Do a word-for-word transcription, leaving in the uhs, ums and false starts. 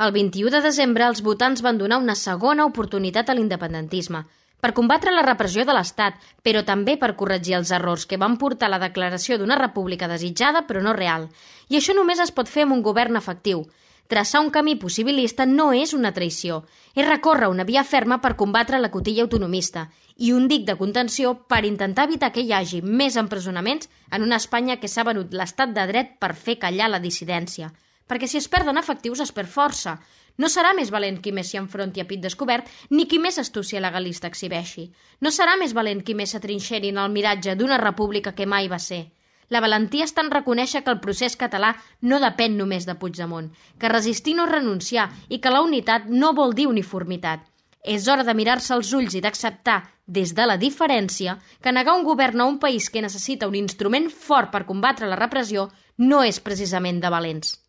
El vint-i-u de desembre els votants van donar una segona oportunitat a l'independentisme per combatre la repressió de l'Estat, però també per corregir els errors que van portar a la declaració d'una república desitjada però no real. I això només es pot fer amb un govern efectiu. Traçar un camí possibilista no és una traïció, és recórrer una via ferma per combatre la cotilla autonomista i un dic de contenció per intentar evitar que hi hagi més empresonaments en una Espanya que s'ha venut l'estat de dret per fer callar la dissidència. Perquè si es perden efectius es perd força. No serà més valent qui més s'hi enfronti a pit descobert ni qui més astúcia legalista exhibeixi. No serà més valent qui més s'atrinxeri en el miratge d'una república que mai va ser. La valentia està en reconèixer que el procés català no depèn només de Puigdemont, que resistir no és renunciar i que la unitat no vol dir uniformitat. És hora de mirar-se als ulls i d'acceptar, des de la diferència, que negar un govern a un país que necessita un instrument fort per combatre la repressió no és precisament de valents.